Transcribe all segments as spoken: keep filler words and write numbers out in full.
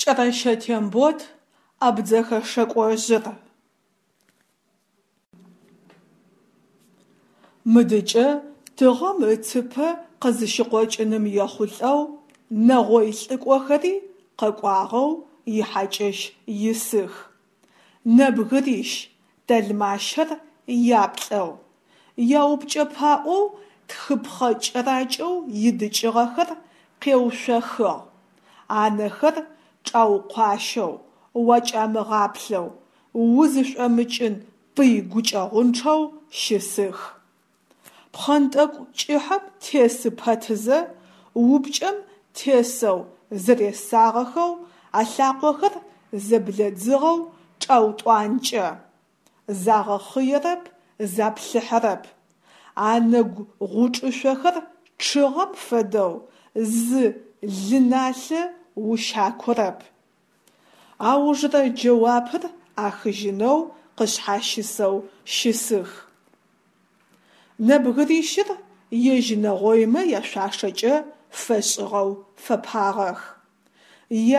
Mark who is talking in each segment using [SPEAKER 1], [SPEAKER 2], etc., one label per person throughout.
[SPEAKER 1] Кӏэрэщэ Тембот, Абдзэхэ шэкӏожъыр. Мыдыкӏэ тыгъэм ыцыпэ къызыщыкъокӏыным ехъулӏэу нэгъой лӏыкӏохэри къэкӏуагъэу ихьакӏэщ исых. Нэбгырищ, тэлмащэр яплӏэу, яупкӏэ паӏоу тхыпхъэ кӏэракӏэу идыкӏыгъэхэр къеуцохыгъ, анэхэр чӏаукъуащэу, уакӏамыгъаплъэу, узышӏомыкӏын пый гукӏэгъунчъэу щысых. Пхъэнтӏэкӏу кӏыхьэм тесы пэтызэ, упкӏэм тесэу зэресагъэхэу алъакъохэр зэблэдзыгъэу чӏаутӏуанкӏэ, загъэхъыерэп, заплъыхьэрэп, анэгу гъучӏышъохэр чъыгъэм фэдэу зы лы налъэ ущакорэп. Аужрэ джэуапыр ӏахыжьынэу къышъхьащысэу щысых. Нэбгырищыр ежь нэгъоймэ яшъуашэкӏэ фэшӏыгъэу фэпагъэх.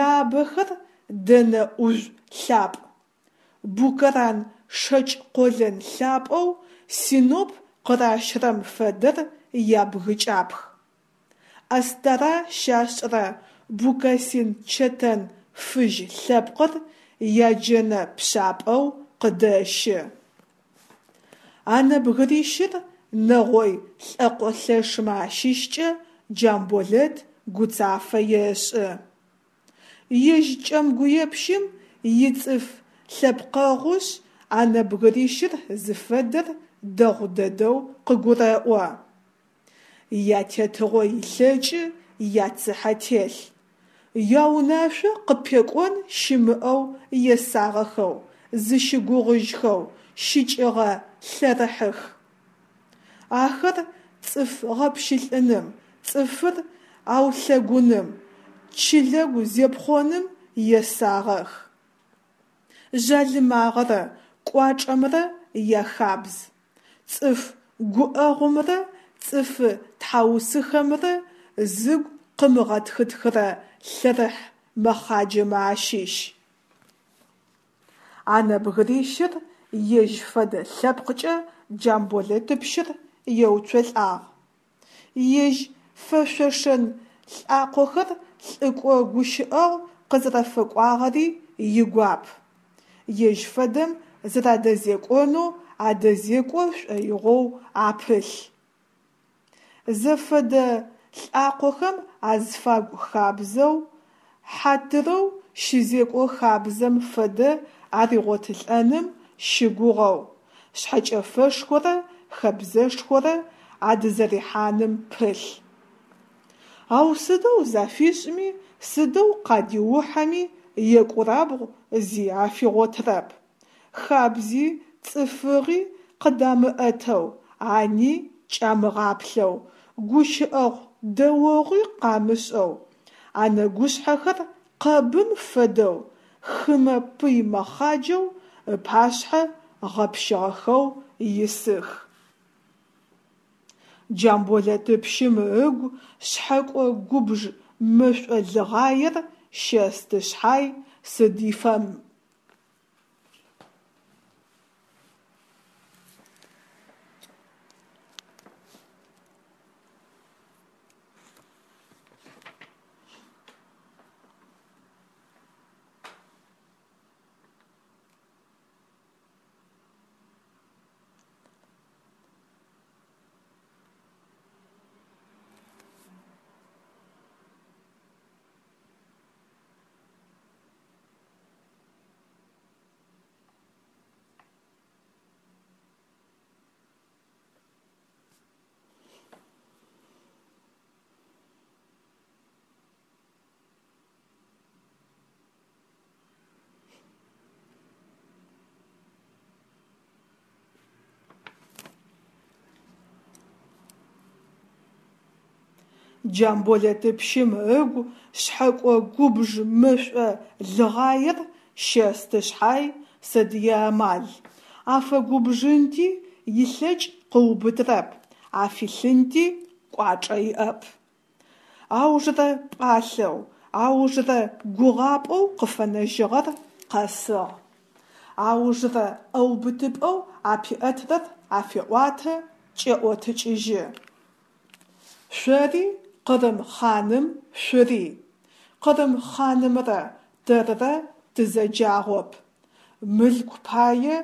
[SPEAKER 1] Яабэхэр дэнэ ӏужъу лъапӏ, букэран шэкӏ къолэн лъапӏэу Синоп къыращрэм фэдэр ябгыкӏапх, Астара щашӏрэ букасин чэтэн фыжь лъэпкъыр яджэнэ пшъапӏэу къыдэщы. А нэбгырищыр нэгъой лӏэкъолъэшмэ ащыщкӏэ Джамболэт гуцафэ ешӏы. Ежь кӏэмгуепщым ицӏыф лъэпкъэгъушъ, а нэбгырищыр зыфэдэр дэгъу дэдэу къыгурэӏо. Ятетыгъо илъэкӏы яцыхьэ телъ, яунашъо къыпекӏон щымыӏэу есагъэхэу, зыщыгугъыжьхэу щыкӏыгъэ лъэрыхьых. Ахэр цӏыф гъэпщылӏыным, цӏыфыр аулъэгуным, чылэгу зепхъоным есагъэх. Жъалымагъэрэ кӏуачӏэмрэ яхабз. Цӏыф гуӏэгъумрэ цӏыфы тхьаусыхэмрэ зыгу къымыгъэтхытхырэ лъэрыхь мэхъаджэмэ ащыщ. А нэбгырищыр ежь фэдэ лъэпкъкӏэ Джамболэтыпщыр еуцолӏагъ. Ежь фэшъошэн лӏакъохэр лӏыкӏо гущыӏэгъу къызэрэфэкӏуагъэри игуап. Ежь фэдэм зэрадэзекӏонэу адэзекӏо шӏоигъоу апылъ. Зэфэдэ лӏакъохэм азфагу хабзэу, хьатырэу щызекӏо хабзэм фэдэ аригъотылӏэным щыгугъэу, шъхьэкӏэфэшхорэ хэбзэшхорэ адызэрихьаным пылъ. Ау сыдэу зафишӏми, сыдэу къадиухьэми екӏурабгъу зи афигъотырэп: хабзи цӏыфыгъи къыдамыӏэтэу, ани кӏамыгъаплъэу, гущыӏэгъу-дэогъуи къамышӏэу, анэгушъхьэхэр къэбым фэдэу хымэ пый мэхъаджэу ыпашъхьэ гъэпщыгъэхэу исых. Джамболэтыпщым ыгу шъхьэкӏо губж мэшӏо лыгъаер щэсты шъхьай, сыд ифэм. Джамболэтыпщым ыгу шъхьэкӏо губж мэшӏо лыгъаер щэсты шъхьай, сыд иамал: афэгубжынти илъэкӏ къыубытрэп, афилъынти кӏуачӏэ иӏэп. Аужрэ пӏалъэу, Аужрэ гугъапӀэу къыфэнэжьыгъэр къэсыгъ, аужрэ ӏэубытыпӀэу апиӀэтырэр афеӀуатэ, кӀеӀотыкӀыжьы. Шъори къырым хъаным шъурий, къырым хъанымрэ тэрырэ тызэджагъоп, мылъку пае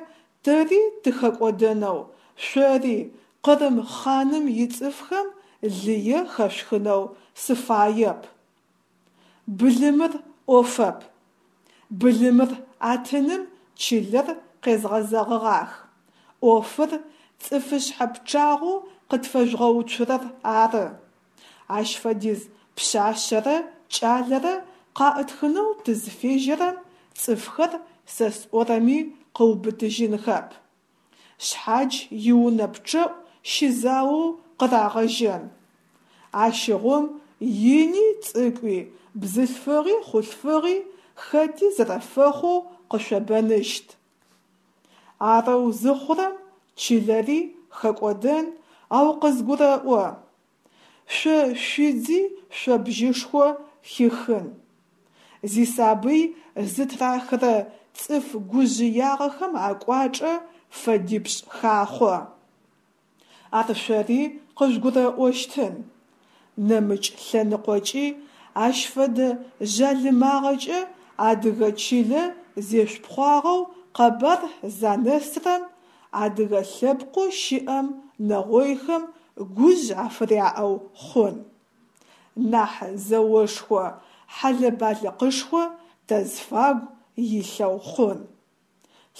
[SPEAKER 1] тэри тыхэкӀодэнэу, шъори къырым хъаным ицӀыфхэм лые хэшъухынэу сыфаеп. Былымыр Ӏофэп, былымыр атыным чылэр къезгъэзэгъыгъах, Ӏофыр цӀыфышъхьэ пчъагъэу къытфэжъугъэуцурэр ары. Ащ фэдиз пшъашъэрэ кӀалэрэ къаӀытхынэу тызфежьэрэм, цӀыфхэр сэ сӀорэми къыубытыжьынхэп, шъхьадж иунэ пчъэӀу щызаоу къырагъэжьэн. Ащыгъум ини цӀыкӀуи, бзылъфыгъи хъулъфыгъи хэти зэрэфэхъоу къышъобэныщт. Арэу зыхъурэм чылэри хэкӀодэн, ау къызгурэӀо: шъо шъуидзи шъобжышхо хихын. Зисабый зытырахырэ цӀыф гужъыягъэхэм акӀуачӀэ фэдипшӀ хахъо. Ар шъори къыжъугурэӀощтын. НэмыкӀ лъэныкъокӀи ащ фэдэ жъалымагъэкӀэ адыгэ чылэ зешъупхъуагъэу къэбар занэсрэм, адыгэ лъэпкъэу щыӀэм нэгъойхэм гужъ афыряӀэу хъун. Нахь зэошхо, хьэлэ-балыкъышхо тазфагу илъэу хъун.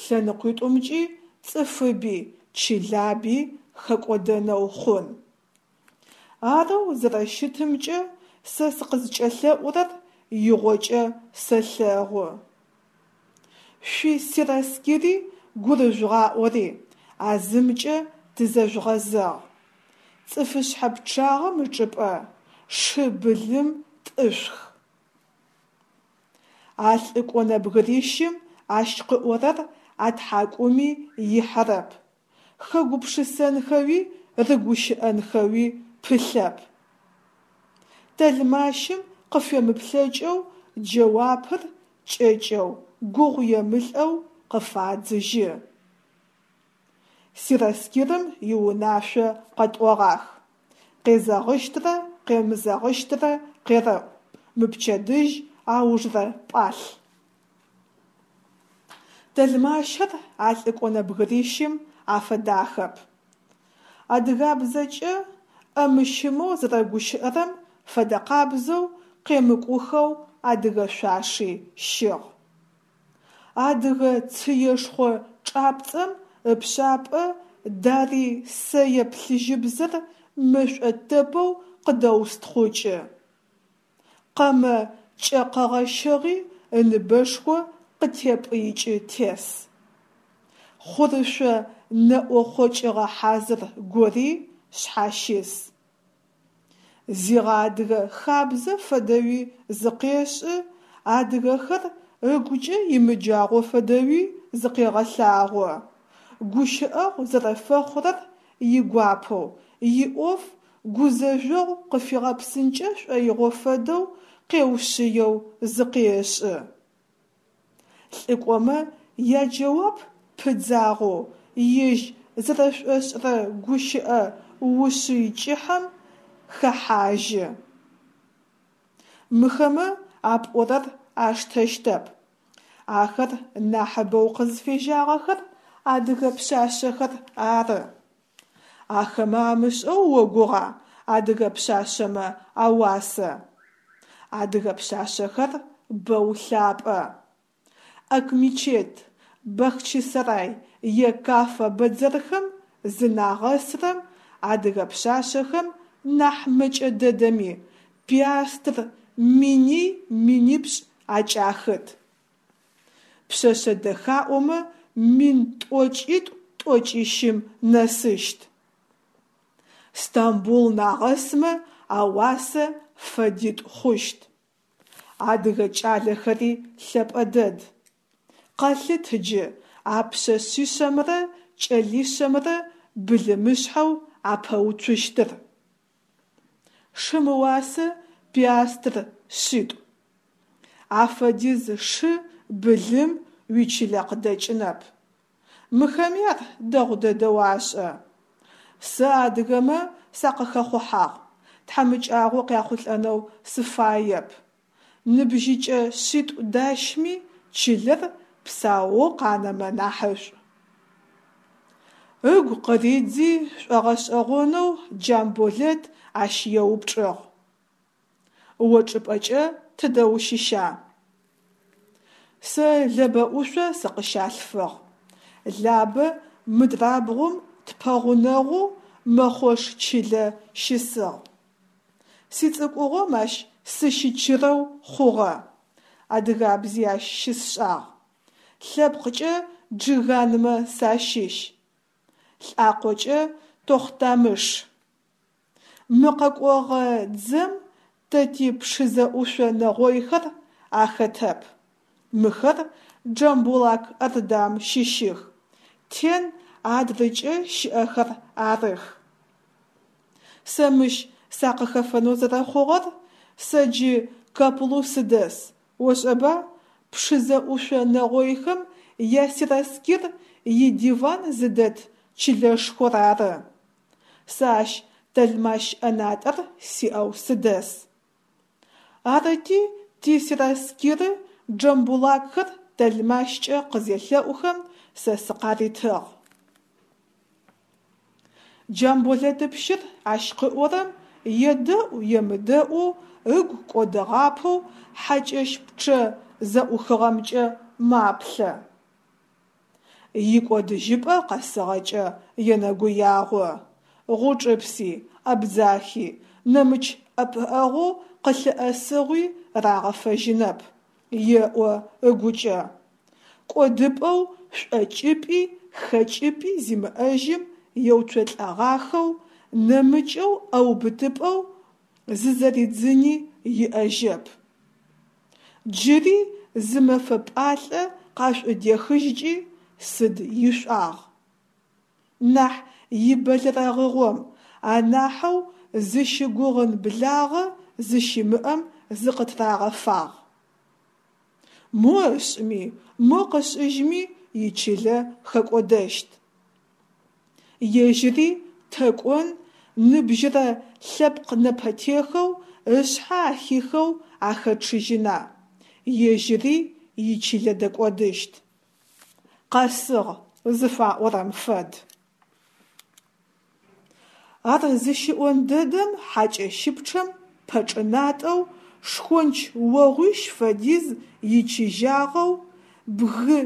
[SPEAKER 1] ЛъэныкъуитӀумкӀи цӀыфыби чылаби хэкӀодэнэу хъун. Арэу зэрэщытымкӀэ сэ сыкъызкӀэлъэӀурэр игъокӀэ сэлъэгъу. Шъуисераскири гурыжъугъаӀори, а зымкӀэ тызэжъугъэзэгъ: цӀыфышъхьэ пчъагъэм ычӀыпӀэ шы былым тӀышъухы. А лӀыкӀо нэбгырищым ащ къыӏорэр атхьакӀуми ихьэрэп, хэгупшысэнхэуи рыгущыӀэнхэуи пылъэп. Тэлмащым къыфемыплъэкӀэу джэуапыр кӀэкӀэу, гугъуемылӀэу къыфадзыжьы. Сераскирым иунашъо къэтӀогъах, къезэгъыщтрэ къемызэгъыщтрэ къерэӀу, мыпчэдыжь аужрэ пӀалъ. Тэлмащыр а лӀыкӀо нэбгырищым афэдахэп. АдыгабзэкӀэ Ӏэмыщымэу зэрэгущыӀэрэм фэдэкъабзэу къемыкӀухэу адыгэ шъуаши щыгъ. Адыгэ цыешхъо чӀапцӀэм ыпшъапӀэ дарый сэе плъыжьыбзэр мэшӀо тэпэу къыдэустхъукӀы. Къэмэ кӀэ къэгъэщыгъи ыныбэшхо къытепӀыикӀы тес. Хъурышъо нэӀо хъокӀыгъэ хьазыр гори шъхьащыс. Зигъэадыгэ хабзэ фэдэуи зыкъешӀы, адыгэхэр ыгукӀэ имыджагъо фэдэуи зыкъегъэлъагъо, гущыӀэгъу зэрэфэхъурэр игуапэу, иӀоф гузэжъогъу къыфигъэпсынкӀэ шӀоигъо фэдэу къеушъыеу зыкъешӀы. ЛӀыкӀомэ яджэуап пыдзагъэу ежь зэрэшӀошӀырэ гущыӀэ ушъый кӀыхьэм хэхьажьы. Мыхэмэ апӀорэр аштэщтэп, ахэр нахьыбэу къызфежьагъэхэр адыгэ пшъашъэхэр ары. Ахэмэ амышӀэу огугъа адыгэ пшъашъэмэ ауасэ? Адыгэ пшъашъэхэр бэу лъапӀэ. Акмечет, Бахчисарай е Каффэ бэдзэрхэм зынагъэсрэм адыгэ пшъашъэхэм нахь мэкӀэ дэдэми пиастр миний-минипшӀ акӀахыт. Пшъэшъэ дэхаӀомэ мин тӀокӀитӀу-тӀокӀищым нэсыщт. Стамбул нагъэсмэ ауасэ фэдитӀу хъущт. Адыгэ кӀалэхэри лъэпӀэ дэд. Къэлъыт джы а пшъэшъишъэмрэ кӀэлишъэмрэ былымышъхьэу апэуцущтыр. Шым ыуасэ пиастр шъитӀу. Афэдиз шы, былым уичылэ къыдэкӏынэп. Мыхэми ар дэгъу дэдэу ашӏэ. Сэ адыгэмэ сакъыхэхъухьагъ, тхьамыкӏагъо къяхъулӏэнэу сыфаеп. Ныбжьыкӏэ шъитӏу дащми, чылэр псаоу къанэмэ нахьышӏу. Ыгу къыридзи, шӏогъэшӏэгъонэу Джамболэт ащ еупчӏыгъ: О чӏыпӏэкӏэ тыдэ ущыща? Сэ Лэбэ ӏушъо сыкъыщалъфыгъ. Лабэ мыдрабгъум тпэгъунэгъоу Мэхъош чылэ щысыгъ. Сицӏыкӏугъом ащ сыщычырэу хъугъэ, адыгабзи ащ щысшӏагъ. Лъэпкъкӏэ Джыганмэ сащыщ, лӏакъокӏэ Тохъутамыш. Мы къэкӏогъэ дзэм тэ ти Пшызэ ӏушъо нэгъойхэр ахэтэп, мыхэр Джамбулак Ордам щыщых, Тен адрыкӏэ щыӏэхэр арых. Сэ мыщ сакъыхэфэнэу зэрэхъугъэр, сэ джы Каплу сыдэс, ошӏэба, Пшызэ ӏушъо нэгъойхэм ясераскир идиван зыдэт чылэшхор ары. Сэ ащ тэлмащ ӏэнатӏэр сиӏэу сыдэс. Арыти тисераскиры джамбулакхэр тэлмащкӏэ къызелъэӏухэм, сэ сыкъаритыгъ. Джамболэтыпщыр ащ къыӏорэм едэӏу-емыдэӏоу ыгу кӏодыгъапэу хьакӏэщ пчъэ зэӏухыгъэмкӏэ маплъэ. Икӏодыжьыпӏэ къэсыгъэкӏэ енэгуягъо. Гъучӏыпси, Абдзахи, нэмыкӏ ӏэпыӏэгъоу къылъыӏэсыгъуи рагъэфэжьынэп, еӏо ыгукӏэ. Кӏодыпӏэу шӏокӏыпӏи хэкӏыпӏи зимыӏэжьым еуцолӏэгъахэу, нэмыкӏэу ӏэубытыпӏэу зызэридзыни иӏэжьэп. Джыри зы мэфэ пӏалъэ къашӏудехыжькӏи сыд ишӏуагъ. Нахь ибэлэрэгъыгъом, анахьэу зыщыгугъын благъэ зыщимыӏэм зыкъытырагъэфагъ. Мо ышӏми, мо къышӏыжьми ичылэ хэкӏодэщт. Ежьыри тэ кӏон, ныбжьырэ лъэпкъ нэпэтехэу ышъхьэ ахихэу ахэчъыжьына, ежьыри ичылэ дэкӏодыщт. Къэсыгъ зыфаӏорэм фэд. Ар зыщиӏон дэдэм хьакӏэщыпчъэм пэчӏынатӏэу, шхонч огъуищ фэдиз ичыжьагъэу, бгы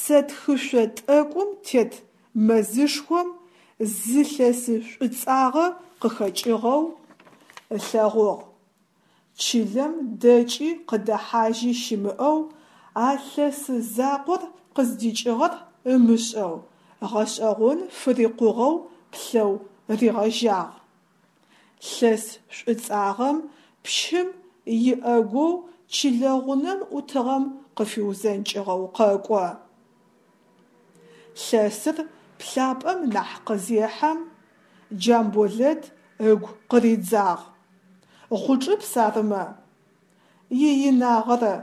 [SPEAKER 1] сэтхышъо тӏэкӏум тет мэзышхом зы лъэсы шӏуцӏагъэ къыхэкӏыгъэу ылъэгъугъ. Чылэм дэкӏи къыдэхьажьи щымыӏэу, а лъэсы закъор къыздикӏыгъэр ымышӏэу, гъэшӏэгъон фырикъугъэу плъэу ригъэжьагъ. Лъэс шӏуцӏагъэм пщым иӏэгоу чылэ гъунэм ӏутыгъэм къыфиузэнкӏыгъэу къэкӏо. Лъэсыр плъапӏэм нахь къызехьэм, Джамболэт ыгу къыридзагъ. Гъучӏыпс арымэ? Иинагъэрэ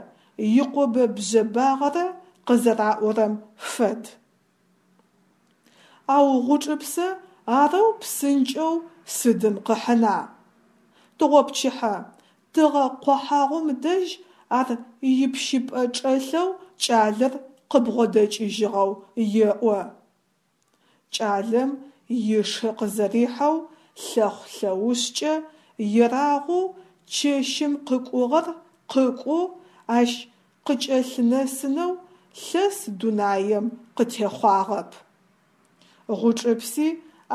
[SPEAKER 1] икъобэ-бжъэбагъэрэ къызэраӏорэм фэд. Ау Гъучӏыпсэ арэу псынкӏэу сыдым къыхьына? Тыгъопчыхьэ, тыгъэ къохьагъум дэжь ар ипщыпӏэ чӏэлъэу кӏалэр къыбгъодэкӏыжьыгъэу еӏо. Кӏалэм ишы къызэрихьэу лъэхъу-лъэушъкӏэ ерагъоу чэщым къыкӏугъэр къыкӏоу ащ къыкӏэлъынэсынэу лъэс дунаем къытехъуагъэп. Гъучӏыпси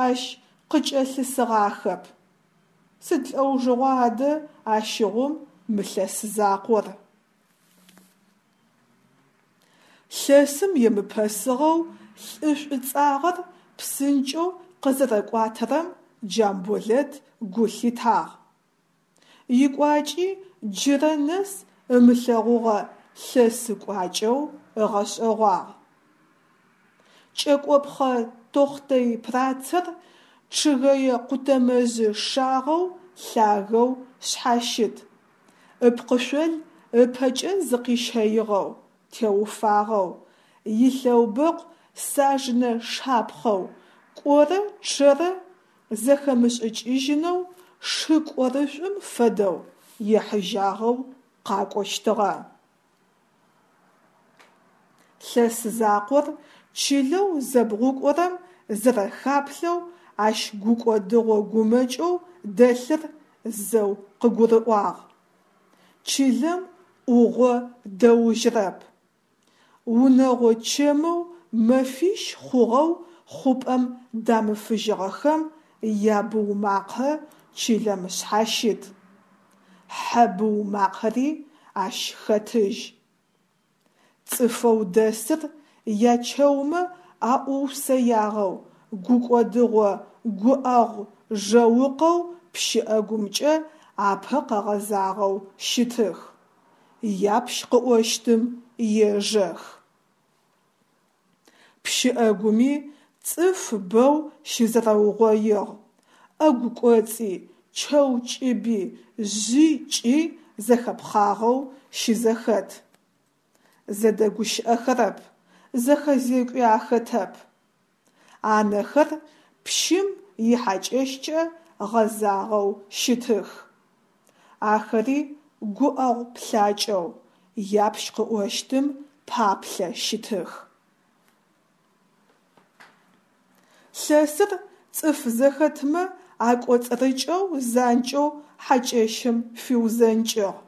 [SPEAKER 1] ащ къыкӏэлъысыгъахэп. Сыд лӏэужыгъуа адэ ащыгъум мы лъэс закъор? Лъэсым емыпэсыгъэу лӏы шӏуцӏагъэр псынкӏэу къызэрэкӏуатэрэм Джамболэт гу лъитагъ. Икӏуакӏи джырэ нэс ымылъэгъугъэ лъэсы кӏуакӏэу ыгъэшӏэгъуагъ. Кӏэкӏопхъэ тохътэй пырацэр чъыгэе къутэмэжъы шагъэу лъагэу шъхьащыт, ыпкъышъол ыпэкӏэ зыкъищэигъэу, теуфагъэу, илъэубэкъу сажнэ шапхъэу, кӏорэ чъэрэ зэхэмышӏыкӏыжьынэу шы кӏорышӏум фэдэу, ехьыжьагъэу къакӏощтыгъэ. Лъэс закъор чылэу зэбгъукӏорэм зэрэхаплъэу ащ гукӏодыгъо гумэкӏэу дэлъыр зэу къыгурыӏуагъ. Чылэм ӏугъо дэужьрэп. Унэгъо чэмэу мэфищ хъугъэу хъупӏэм дамыфыжьыгъэхэм ябыу макъэ чылэм шъхьащыт, хьэ быу макъэри ащ хэтыжь. Цӏыфэу дэсыр ячэумэ аӏуусэягъэу гукӏодыгъо гуӏэгъу жэукъэу пщыӏэгумкӏэ апэ къэгъэзагъэу щытых, япщ къыӏощтым ежэх. Пщыӏэгуми цӏыф бэу щызэрэугъоигъ, ӏэгу кӏоцӏи, чэу кӏыби, жъи кӏи зэхэпхъагъэу щызэхэт. Зэдэгущыӏэхэрэп, зэхэзекӏуи ахэтэп. Анэхэр пщым ихьакӏэщкӏэ гъэзагъэу щытых. Ахэри гуӏэгъу плъакӏэу, япщ къыӏощтым паплъэ щытых. Лъэсыр цӏыф зэхэтмэ акӏоцӏырыкӏэу занкӏэу хьакӏэщым фиузэнкӏыгъ.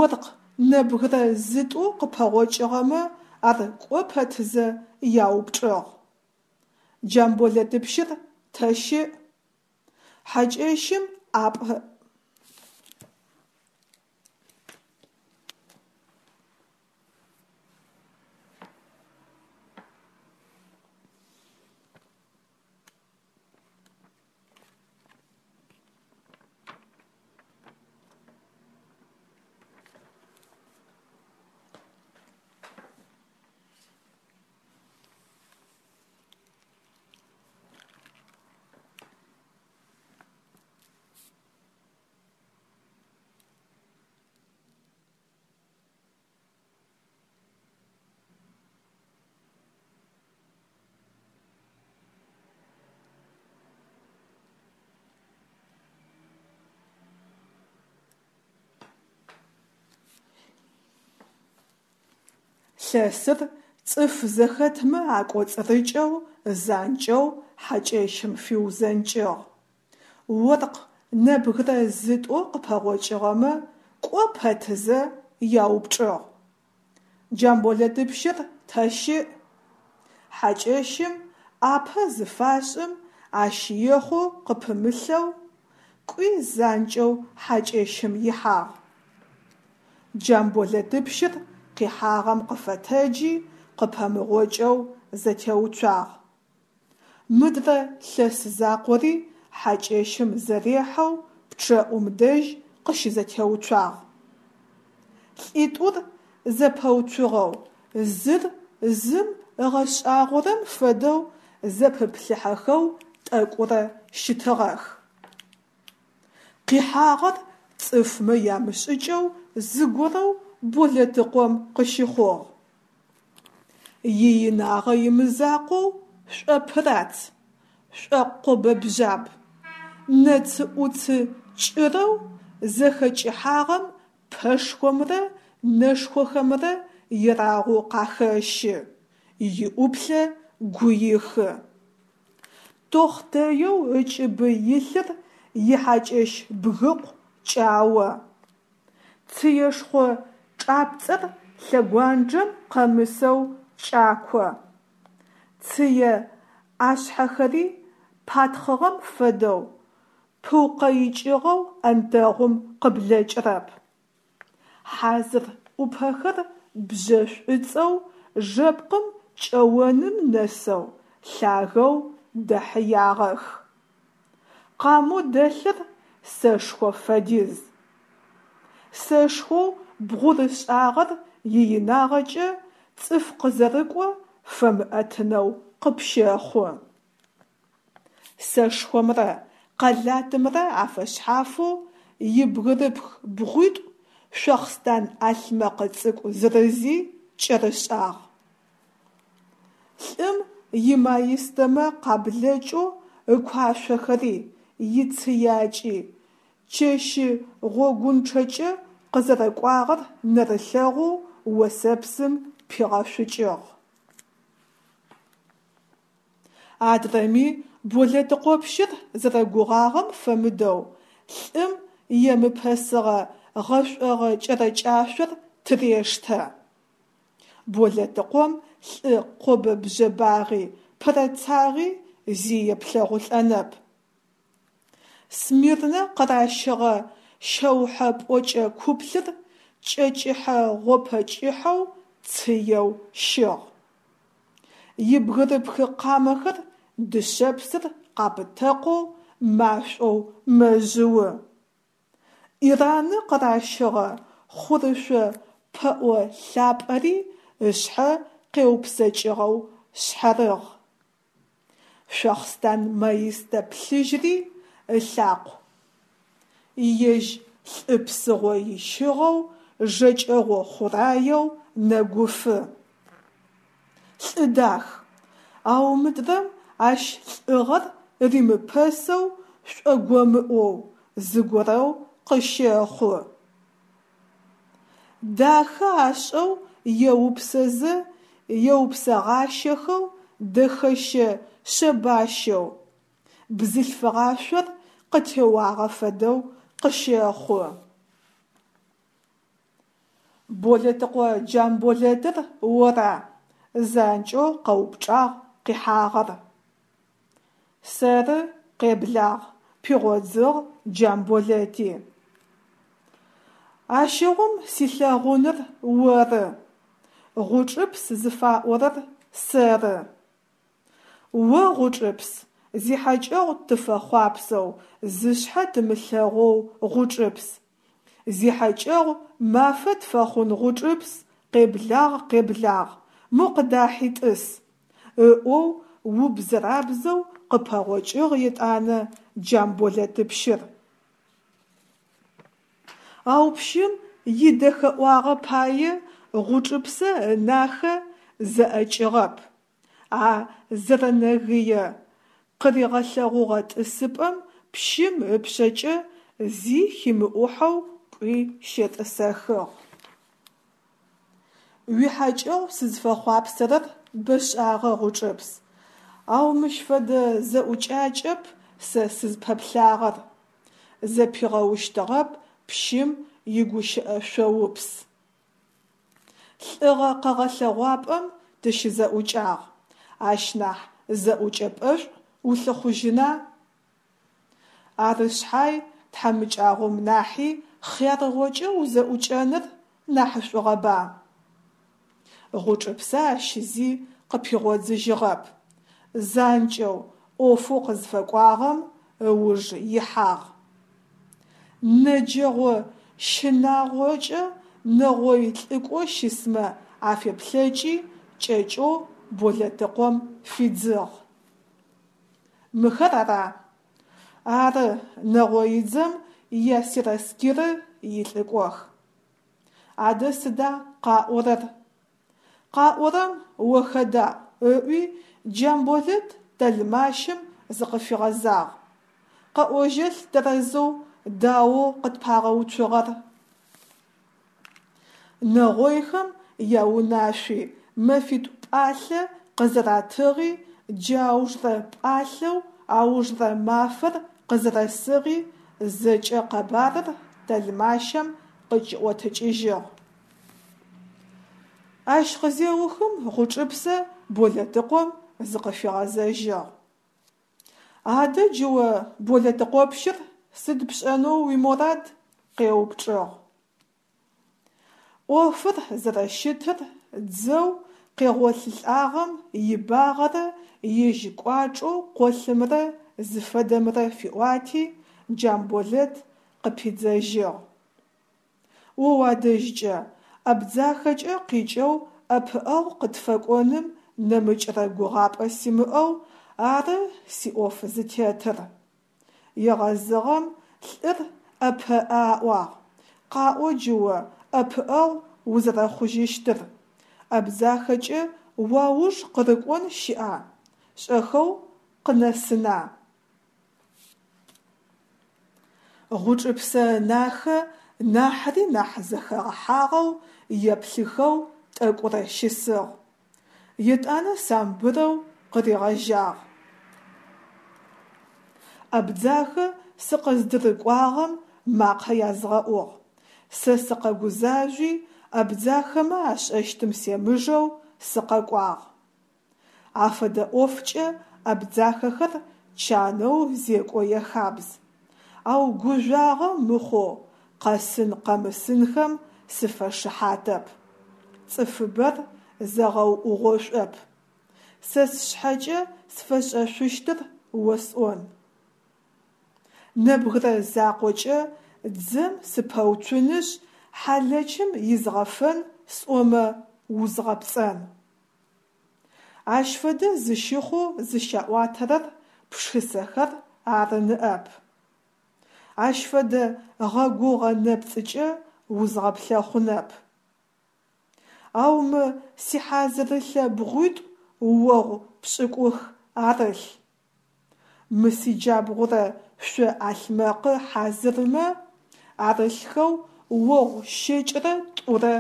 [SPEAKER 1] Оркъ нэбгырэ зытӏу къыпэгъокӏыгъэмэ ар кӏо пэтызэ яупчӏыгъ: «Джамболэтыпщыр тэ щыӏ?» Хьакӏэщым ӏапӏэ. Лъэсыр цӏыф зэхэтмэ акӏоцӏырыкӏэу занкӏэу хьакӏэщым фиузэнкӏыгъ. Оркъ нэбгырэ зытӏу къыпэгъокӏыгъэмэ кӏо пэтызэ яупчӏыгъ: «Джамболэтыпщыр тэ щыӏ?» Хьакӏэщым ӏапэ зыфашӏым, ащ ехъу къыпымылъэу, кӏуи занкӏэу хьакӏэщым ихьагъ. Джамболэтыпщыр къихьагъэм къыфэтэджи, къыпэмыгъокӏэу зэтеуцуагъ. Мыдрэ лъэс закъори хьакӏэщым зэрехьэу пчъэӏум дэжь къыщызэтеуцуагъ. Лӏитӏур зэпэуцугъэу, зыр зым ыгъэшӏагъорэм фэдэу зэпыплъыхьэхэу тӏэкӏурэ щытыгъэх. Къихьагъэр цӏыфмэ ямышӏыкӏэу зыгорэу Болэтыкъом къыщыхъугъ. Иинагъэ имызакъоу, шӏопырац, шӏокъобэбжъаб, нэцы-ӏуцы кӏырэу зэхэкӏыхьагъэм пэшхомрэ нэшхохэмрэ ерагъоу къахэщы, иӏуплъэ гуихы. Тохътэеу ыкӏыбы илъыр ихьакӏэщ бгыкъу кӏао. Цыешхъо чӏапцӏэр лъэгуанджэм къэмысэу кӏако. Цые ӏашъхьэхэри патхъыгъэм фэдэу пыукъэикӏыгъэу ӏэнтэгъум къыблэкӏырэп. Хьазыр ӏупэхэр бжьэ шӏуцӏэу жэпкъым кӏэоным нэсэу лъагэу дэхьыягъэх. Къамэу дэлъыр сэшхо фэдиз. Сэшхоу бгъурышӏагъэр иинагъэкӏэ цӏыф къызэрыкӏо фэмыӏэтынэу къыпщэхъу. Сэшхомрэ къэлатымрэ афэшъхьафэу ибгырыпх бгъуитӏу шъохъстан ӏалъмэкъ цӏыкӏу зырызи кӏэрышӏагъ. Лӏым имаистэмэ къаблэкӏэу ыкуашъохэри, ицыякӏи, чэщы гъогунчъэкӏэ къызэрэкӏуагъэр нэрылъэгъоу, осэпсым пигъэшъукӏыгъ. Адрэми, Болэтыкъопщыр зэрэгугъагъэм фэмыдэу, лӏым емыпэсыгъэ гъэшӏогъэ кӏэрэкӏашъор тырештэ. Болэтыкъом лӏы къобэ-бжъэбагъи, пырэцагъи зи еплъэгъулӏэнэп. Смирнэ къыращыгъэ шъэухьэ пӏокӏэ куплъыр кӏэ кӏыхьэ гъопэ кӏыхьэу цыеу щыгъ. Ибгырыпхы къамэхэр дышъэпсыр къапытэкъоу машӏоу мэжъыу. Ираны къыращыгъэ хъурышъо пэӏо лъапӏэри ышъхьэ къеупсэкӏыгъэу шъхьарыгъ. Шъохъстан маистэ плъыжьри ылъакъу. Ежь лӏы псыгъо ищыгъэу, жэкӏэгъо хъураеу нэгуфы. Лӏы дах, ау мыдрэм ащ лӏыгъэр римыпэсэу шӏогомыӏоу, зыгорэу къыщэхъу. Дахэ ашӏэу еупсэзэ еупсэгъащэхэу дэхэщэ шъэбащэу, бзылъфыгъашъор къытеуагъэ фэдэу къыщэхъу. Болэтыкъо Джамболэтыр ора? – занкӏэу къэупчӏагъ къихьагъэр. Сэры, къеблагъ, – пигъодзыгъ Джамболэти. Ащыгъум силъэгъуныр оры, Гъучӏыпс зыфаӏорэр сэры. О, Гъучӏыпс, зихьакӏэгъу тыфэхъуапсэу зышъхьэ тымылъэгъоу Гъучӏыпс, зихьакӏэгъу мафэ тфэхъун Гъучӏыпс, къеблагъ, къеблагъ, мо къыдахьи тӏыс, – ыӏоу убзэрабзэу къыпэгъокӏыгъ етӏанэ Джамболэтыпщыр. Ау пщым идэхэӏуагъэ пае Гъучӏыпсэ ынахэ зэӏэкӏыгъэп, а зэрэнэгые къыригъэлъэгъугъэ тӏысыпӏэм пщым ыпшъэкӏэ зи химыӏухьэу кӏуи щетӏысэхыгъ. Уихьакӏэгъу сызфэхъуапсэрэр бэшӏагъэ, Гъучӏыпс, ау мыщ фэдэ зэӏукӏакӏэп сэ сызпэплъагъэр, зэпигъэущтыгъэп пщым игущыӏэ шъоупс. Лӏыгъэ къэгъэлъэгъуапӏэм тыщызэӏукӏагъ, ащ нахь зэӏукӏэпӏэшӏу улъыхъужьына? Ары шъхьай тхьамыкӏагъом нахьи хъярыгъокӏэ узэӏукӏэныр нахьышӏугъэба? Гъучӏыпсэ ащ зи къыпигъодзыжьыгъэп, занкӏэу ӏофэу къызфэкӏуагъэм ыуж ихьагъ. Нэджэгъо щынагъокӏэ нэгъой лӏыкӏо щысмэ афеплъэкӏи, кӏэкӏэу Болэтыкъом фидзыгъ: Мыхэр ара? Ары, нэгъоидзэм ясераскиры илӏыкӏох. Адэ сыда къаӏорэр? Къаӏорэм о хэдаӏу, – ыӏуи, Джамболэт тэлмащым зыкъыфигъэзагъ. Къэӏожьэлъ тэрэзэу даоу къытпагъэуцугъэр. Нэгъойхэм яунашъуи, мэфитӏу пӏалъэ къызэратыгъи, джы аужрэ пӏалъэу аужрэ мафэр къызэрэсыгъи – зэкӏэ къэбарыр тэлмащэм къыкӏиӏотыкӏыжьыгъ. Ащ къызеухым Гъучӏыпсэ Болэтыкъом зыкъыфигъэзэжьыгъ. Адэ джы о, Болэтыкъопщыр, сыд пшӏэнэу уиморад? – къеупчӏыгъ. Ӏофыр зэрэщытыр, дзэу къегъолъылӏагъэм ибагъэрэ ежь кӏуачӏэу къолъымрэ зыфэдэмрэ фиӏуати, Джамболэт къыпидзэжьыгъ. О уадэжькӏэ, Абдзахэкӏэ къикӏэу ӏэпыӏэгъу къытфэкӏоным нэмыкӏрэ гугъапӏэ симыӏэу ары сиӏоф зытетыр. Егъэзыгъэм лӏыр ӏэпэӏэ аӏуагъ, Къаӏо джы о ӏэпыӏэгъу узэрэхъужьыщтыр, Абдзахэкӏэ уауж къырыкӏон щыӏа, шӏэхэу къынэсына? Гъучӏыпсэ ынахэ нахьыри нахь зэхэгъэхьагъэу еплъыхэу тӏэкӏурэ щысыгъ, етӏанэ самбырэу къыригъэжьагъ. Абдзахэ сыкъыздырыкӏуагъэм макъэ язгъэӏугъ, сэ сыкъэгузажъуи, абдзахэмэ ашӏэщтым семыжэу сыкъэкӏуагъ. Афэдэ ӏофкӏэ абдзахэхэр чанэу зекӏо яхабз, ау гужъуагъэ мыхъоу къэсын-къэмысынхэм сыфэшыхьатэп, цӏыфыбэр зэгъэуӏугъошӏоп. Сэ сшъхьэкӏэ сфэшӏэшъущтыр осӏон. Нэбгырэ закъокӏэ дзэм сыпэуцунышъ, хьалэчым изгъэфэн сӏомэ, узгъэпцӏэн. Ащ фэдэ зыщыхъоу зыщаӏуатэрэр пшысэхэр ары ныӏэп. Ащ фэдэ гъэгугъэ нэпцӏыкӏэ узгъэплъэхъунэп. Ау мы сихьазырылъэ бгъуитӏу огъу пшӏыкӏух арылъ. Мы сиджабгъурэ шъо ӏалъмэкъы хьазырмэ арылъхэу огъу щэкӏырэ тӏурэ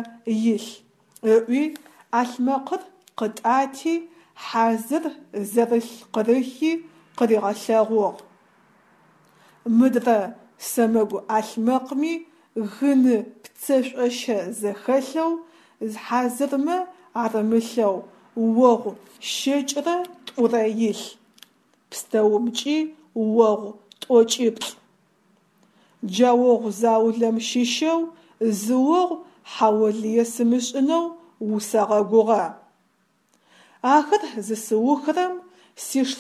[SPEAKER 1] илъ, – ыӏуи, ӏалъмэкъыр къытӏати, хьазыр зэрылъ къырыхи къыригъэлъэгъугъ. Мыдрэ сэмэгу ӏалъмэкъми гыны пцэшӏощэ зэхэлъэу хьазырмэ арымылъэу огъу щэкӏырэ тӏурэ илъ, пстэумкӏи огъу тӏокӏиплӏ. Джа огъу заулэм щыщэу зы огъу хьаолые сымышӏынэу усэгъэгугъэ. Ахэр зысыухрэм сиш.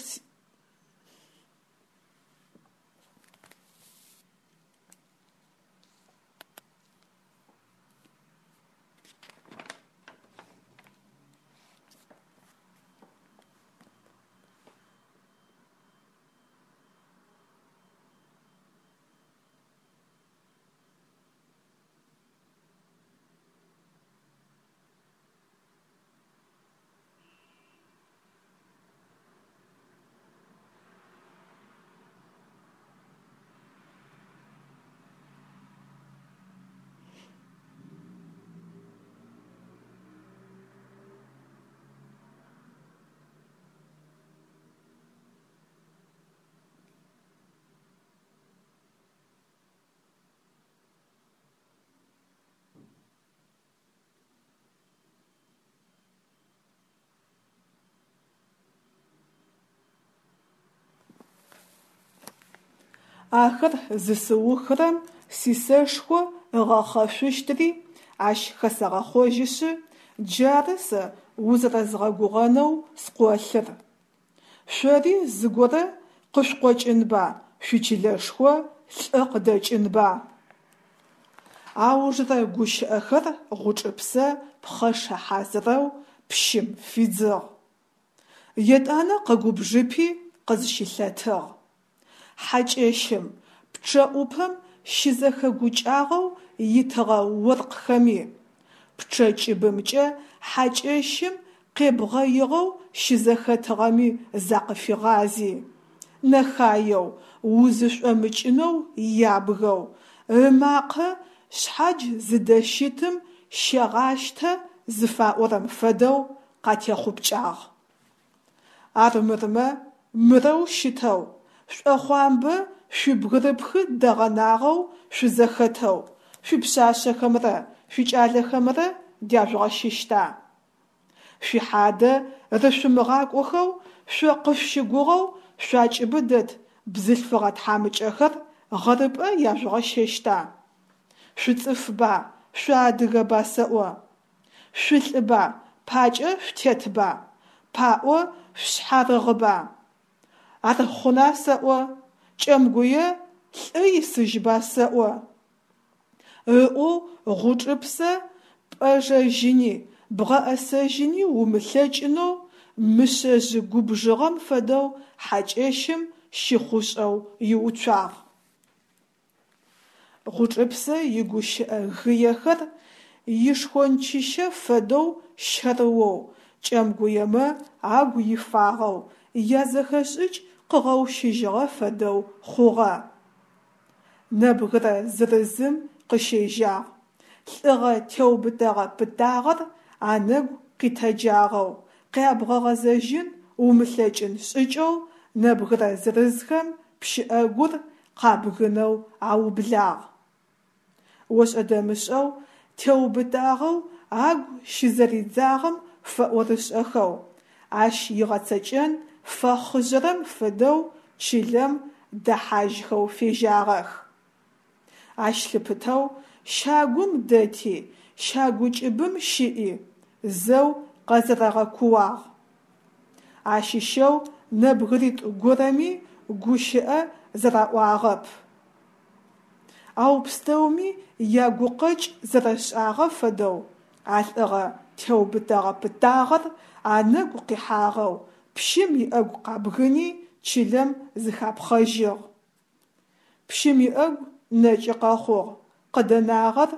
[SPEAKER 1] Ахэр зысыухрэм сисэшхо ыгъэхъэшъущтыри ащ хэсэгъэхъожьышъы, джары сэ узэрэзгъэгугъэнэу скъолъыр. Шъори зыгорэ къышъукъокӏынба, шъуичылэшхо лӏы къыдэкӏынба? Аужрэ гущыӏэхэр Гъучӏыпсэ пхъэшэ хьазырэу пщым фидзыгъ. Етӏанэ къэгубжыпи къызщылъэтыгъ. Хьакӏэщым, пчъэӏупэм щызэхэгукӏагъэу итыгъэ оркъхэми, пчъэ кӏыбымкӏэ хьакӏэщым къебгъэигъэу щызэхэтыгъэми закъыфигъази, нэхаеу, узышӏомыкӏынэу ябгэу, ымакъэ шъхьадж зыдэщытым щегъащтэ зыфаӏорэм фэдэу къатехъупкӏагъ. Армырмэ, мырэу щытэу, шъуӏэхъуамбэ шъуибгырыпхы дэгъэнагъэу шъузэхэтэу шъуипшъашъэхэмрэ шъуикӏалэхэмрэ дяжъугъэщыщта? Шъуихьадэ рышъумыгъакӏохэу шъо къышъущыгугъэу шъуакӏыбы дэт бзылъфыгъэ тхьамыкӏэхэр гъэрыпӏэ яжъугъэщэщта? Шъуцӏыфба, шъуадыгэба сэӏо? Шъулӏыба, пакӏэ шъутетба, паӏо шъушъхьарыгъба? Ар хъуна сэӏо, Кӏэмгуе лӏы исыжьба сэӏо? Ыӏоу Гъучӏыпсэ пӏэжэжьыни бгъэӏэсэжьыни умылъэкӏынэу мышъэжъ губжыгъэм фэдэу хьакӏэщым щыхъушӏэу иуцуагъ. Гъучӏыпсэ игущыӏэ гыехэр ишхончыщэ фэдэу щэрыоу, кӏэмгуемэ агу ифагъэу, язэхэшӏыкӏ къыгъэущыжьыгъэ фэдэу хъугъэ. Нэбгырэ зырызым къыщежьагъ, лӏыгъэ теубытэгъэ-пытагъэр анэгу къитэджагъэу, къябгъэгъэзэжьын умылъэкӏын шӏыкӏэу нэбгырэ зырызхэм пщыӏэгур къабгынэу аублагъ. Ошӏэ-дэмышӏэу теубытагъэу агу щызэридзагъэм фэӏорышӏэхэу, ащ игъэцэкӏэн фэхъыжъэрэм фэдэу чылэм дэхьажьхэу фежьагъэх. Ащ лъыпытэу щагум дэти, щагу кӏыбым щыӏи зэу къэзэрэгъэкуагъ. Ащыщэу нэбгыритӏу горэми гущыӏэ зэраӏуагъэп. Ау пстэуми ягукъэкӏ зэрэшӏагъэ фэдэу, а лӏыгъэ теубытэгъэ-пытагъэр анэгу къихьагъэу, пщым иӏэгу къабгыни чылэм зыхапхъэжьыгъ. Пщым иӏэгу нэкӏы къэхъугъ, къыдэнагъэр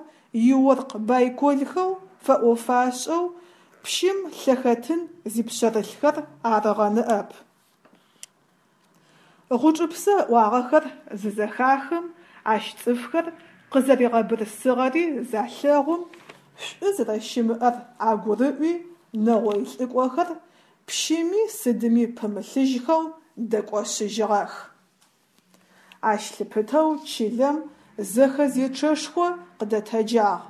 [SPEAKER 1] иоркъ байколхэу фэӏофашӏэу пщым лъэхэтын зипшъэрылъхэр арыгъэ ныӏэп. Гъучӏыпсэ ыӏуагъэхэр зызэхахым, ащ цӏыфхэр къызэригъэбырсыгъэри залъэгъум, шӏу зэрэщымыӏэр агурыӏуи, нэгъой лӏыкӏохэр пщыми сыдыми пымылъыжьхэу дэкӏошъыжьыгъэх. Ащ лъыпытэу чылэм зэхэзечъэшхо къыдэтэджагъ.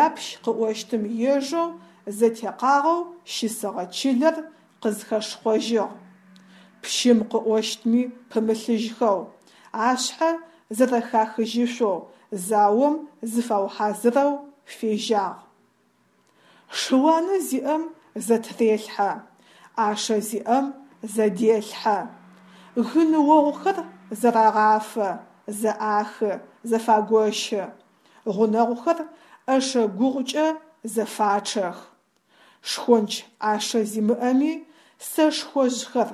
[SPEAKER 1] Япщ къыӏощтым ежэу зэтекъагъэу щысыгъэ чылэр къызхэшхъожьыгъ. Пщым къыӏощтми пымылъыжьхэу, ашъхьэ зэрэхахыжьышъоу заом зыфаухьазырэу фежьагъ. Шы-уанэ зиӏэм зэтырелъхьэ, ӏашэ зиӏэм зэделъхьэ. Гын огъухэр зэрагъафэ, зэӏахы, зэфагощы. Гъунэгъухэр ӏэшэ гугъукӏэ зэфачъэх. Шхонч ӏашэ зимыӏэми сэшхожъхэр,